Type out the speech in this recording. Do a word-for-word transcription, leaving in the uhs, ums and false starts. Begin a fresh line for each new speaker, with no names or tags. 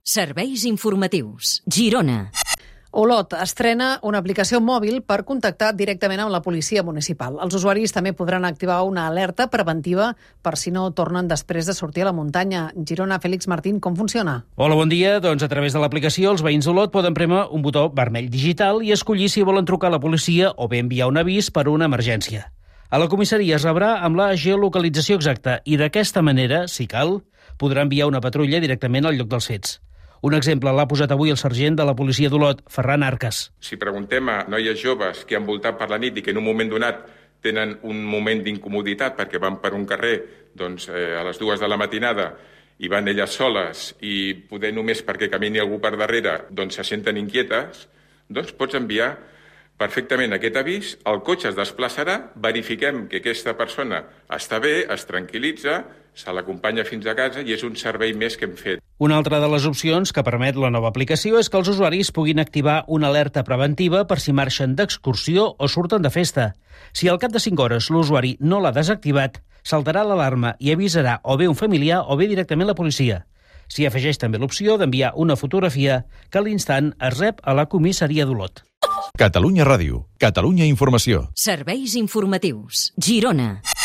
Serveis informatius. Girona.
Olot estrena una aplicació mòbil per contactar directament amb la policia municipal. Els usuaris també podran activar una alerta preventiva per si no tornen després de sortir a la muntanya. Girona, Fèlix Martín, com funciona?
Hola, bon dia. Doncs a través de l'aplicació els veïns d'Olot poden prémer un botó vermell digital i escollir si volen trucar a la policia o bé enviar un avís per una emergència. A la comissaria es rebrà amb la geolocalització exacta i d'aquesta manera, si cal, podrà enviar una patrulla directament al lloc dels fets. Un exemple l'ha posat avui el sergent de la policia d'Olot, Ferran Arcas.
Si preguntem a noies joves que han voltat per la nit i que en un moment donat tenen un moment d'incomoditat perquè van per un carrer doncs, eh, a les dues de la matinada i van elles soles i poder només perquè camini algú per darrere doncs se senten inquietes, doncs pots enviar perfectament aquest avís, el cotxe es desplaçarà, verifiquem que aquesta persona està bé, es tranquil·litza, se l'acompanya fins a casa i és un servei més que hem fet.
Una altra de les opcions que permet la nova aplicació és que els usuaris puguin activar una alerta preventiva per si marxen d'excursió o surten de festa. Si al cap de cinc hores l'usuari no l'ha desactivat, saltarà l'alarma i avisarà o bé un familiar o bé directament la policia. S'hi afegeix també l'opció d'enviar una fotografia que a l'instant es rep a la comissaria d'Olot.
Catalunya Ràdio, Catalunya Informació.
Serveis informatius. Girona.